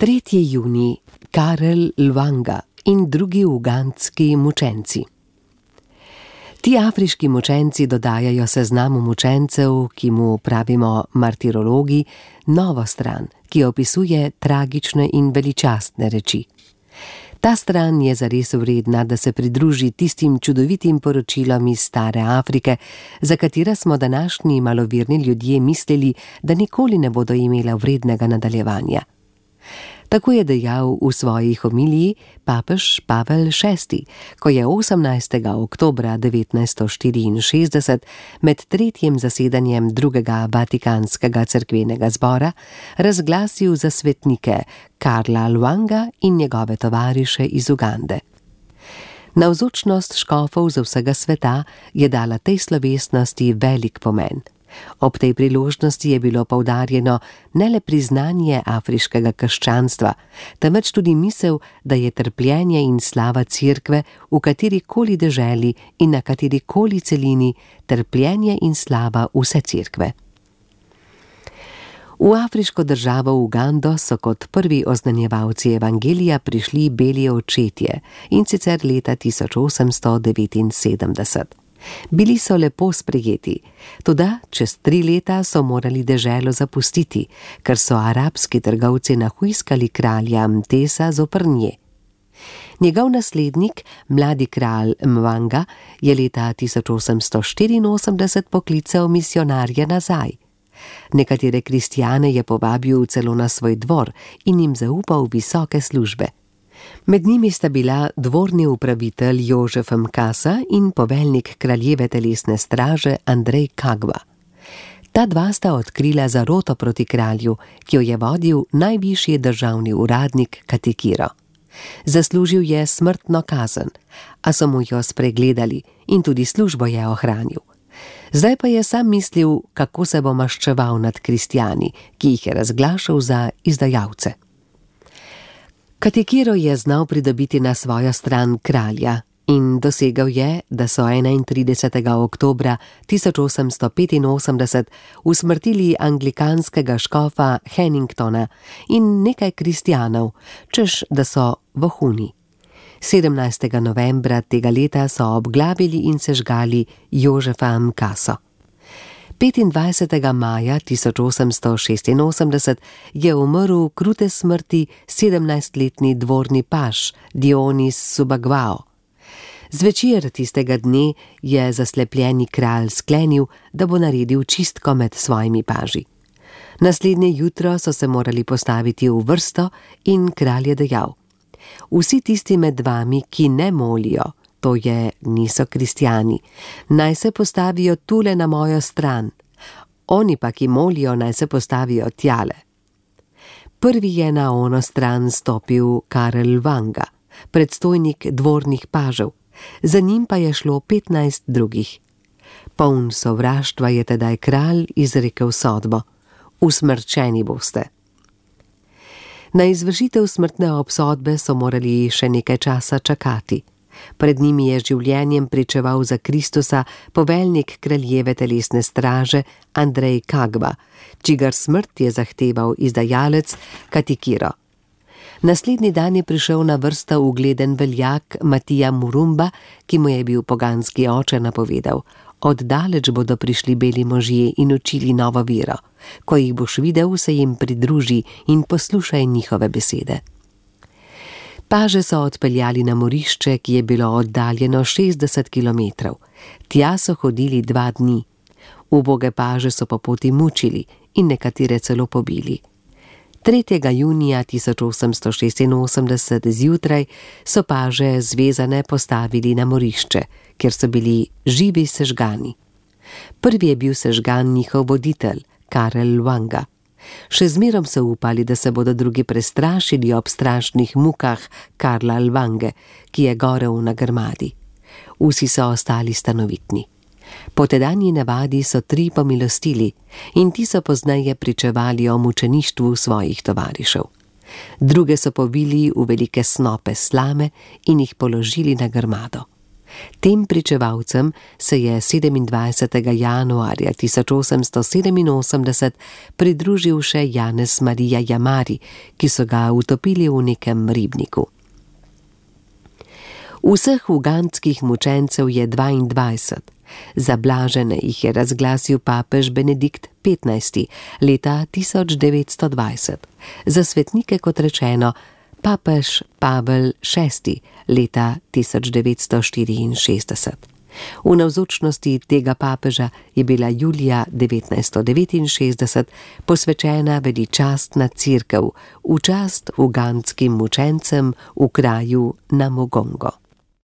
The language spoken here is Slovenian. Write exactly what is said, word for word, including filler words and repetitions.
tretji junij, Karel Lwanga in drugi ugandski mučenci. Ti afriški mučenci dodajajo seznamu mučencev, ki mu pravimo martirologi, novo stran, ki opisuje tragične in veličastne reči. Ta stran je zares vredna, da se pridruži tistim čudovitim poročilom iz stare Afrike, za katera smo današnji malovirni ljudje mislili, da nikoli ne bodo imela vrednega nadaljevanja. Tako je dejal v svoji homiliji papež Pavel šesti, ko je osemnajstega oktobra devetnajststo štiriinšestdeset med tretjim zasedanjem drugega Vatikanskega cerkvenega zbora razglasil za svetnike Karla Lwanga in njegove tovariše iz Ugande. Navzočnost škofov z vsega sveta je dala tej slovesnosti velik pomen. Ob tej priložnosti je bilo poudarjeno ne le priznanje afriškega krščanstva, temveč tudi misel, da je trpljenje in slava cerkve v katerikoli deželi in na katerikoli celini trpljenje in slava vse cerkve. V afriško državo Ugando so kot prvi oznanjevalci evangelija prišli beli očetje, in sicer leta tisoč osemsto devetinsedemdeset. Bili so lepo sprejeti, toda čez tri leta so morali deželo zapustiti, ker so arabski trgovci nahujskali kralja Mtesa zoper nje. Njegov naslednik, mladi kralj Mwanga, je leta tisoč osemsto štiriinosemdeset poklical misijonarje nazaj. Nekatere kristjane je povabil celo na svoj dvor in jim zaupal visoke službe. Med njimi sta bila dvorni upravitelj Jožef Mkasa in poveljnik kraljeve telesne straže Andrej Kagba. Ta dva sta odkrila zaroto proti kralju, ki jo je vodil najvišji državni uradnik Katikiro. Zaslužil je smrtno kazen, a so mu jo spregledali in tudi službo je ohranil. Zdaj pa je sam mislil, kako se bo maščeval nad kristjani, ki jih je razglašal za izdajalce. Katikiro je znal pridobiti na svojo stran kralja in dosegal je, da so enaintridesetega oktobra tisoč osemsto petinosemdeset usmrtili anglikanskega škofa Hanningtona in nekaj kristjanov, češ da so vohuni. sedemnajstega novembra tega leta so obglavili in sežgali Jožefa Mkaso. petindvajsetega maja tisoč osemsto šestinosemdeset je umrl krute smrti sedemnajstletni dvorni paž Dionis Subagvao. Zvečer tistega dne je zaslepljeni kralj sklenil, da bo naredil čistko med svojimi paži. Naslednje jutro so se morali postaviti v vrsto in kralj je dejal: vsi tisti med vami, ki ne molijo, to je, niso kristjani, naj se postavijo tule na mojo stran, oni pa, ki molijo, naj se postavijo tjale. Prvi je na ono stran stopil Karel Lwanga, predstojnik dvornih pažev, za njim pa je šlo petnajst drugih. Poln sovraštva je tedaj kralj izrekel sodbo: usmrčeni boste. Na izvršitev smrtne obsodbe so morali še nekaj časa čakati. Pred njimi je življenjem pričeval za Kristusa poveljnik kraljeve telesne straže Andrej Kagba, čigar smrt je zahteval izdajalec Katikiro. Naslednji dan je prišel na vrsto ugleden veljak Matija Murumba, ki mu je bil poganski oče napovedal: oddaleč bodo prišli beli možje in učili novo vero. Ko jih boš videl, se jim pridruži in poslušaj njihove besede. Paže so odpeljali na morišče, ki je bilo oddaljeno šestdeset kilometrov. Tja so hodili dva dni. Uboge paže so po poti mučili in nekatere celo pobili. tretjega junija tisoč osemsto šestinosemdeset zjutraj so paže zvezane postavili na morišče, kjer so bili živi sežgani. Prvi je bil sežgan njihov voditelj, Karel Lwanga. Še zmerom so upali, da se bodo drugi prestrašili ob strašnih mukah Karla Lwange, ki je gorel na grmadi. Vsi so ostali stanovitni. Po tedanji navadi so tri pomilostili in ti so pozneje pričevali o mučeništvu svojih tovarišev. Druge so povili v velike snope slame in jih položili na grmado. Tem pričevalcem se je sedemindvajsetega januarja tisoč osemsto sedeminosemdeset pridružil še Janez Marija Jamari, ki so ga utopili v nekem ribniku. Vseh ugandskih mučencev je dvaindvajset. Za blažene jih je razglasil papež Benedikt petnajsti leta tisoč devetsto dvajset. Za svetnike, kot rečeno, papež Pavel šesti leta tisoč devetsto štiriinšestdeset. V navzočnosti tega papeža je bila julija devetnajststo devetinšestdeset posvečena veličastna cerkev v čast ugandskim mučencem v kraju Namugongo.